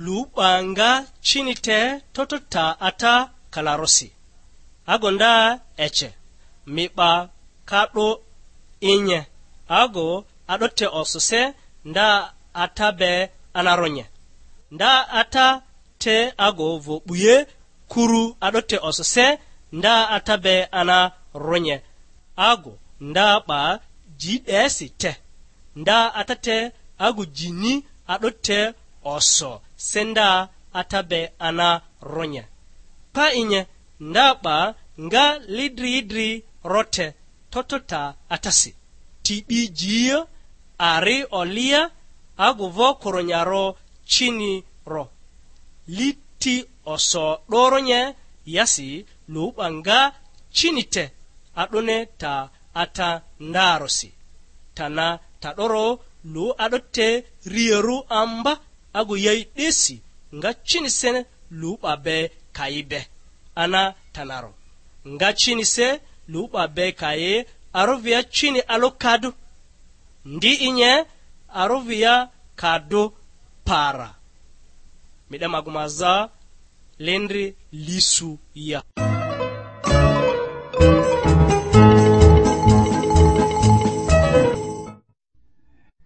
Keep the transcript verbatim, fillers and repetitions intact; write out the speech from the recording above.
Lu 'ba nga cini te toto ta ata kalarosi. Ago nda ece, mi 'ba ka 'do inye. Ago a'do te osose nda ata be anaronye. Nda ata te ago vo 'buye kuru a'do te osose nda ata be ana ronye. Ago nda 'ba ji 'desi te. Nda ata te agu jini a'do te oso se nda ata be ana ronye. Pa inye nda 'ba nga lidri idri rote toto ta atasi. Ti 'bi jia, ari olia, agu vo koronyaro cini ro. Li ti oso 'doronye yasi lu 'ba nga cini te, a'done ta ata ndarosi. Tana ta 'doro lu a'do te riarᴜ amba agu yai 'desi nga cini se lu 'ba be kayi be. Ana tanaro nga cini se lu 'ba be kayi arovia cini alo kadu. Ndi inye arovia kadu para. Mi 'de magᴜ ma za lindri lisu ya.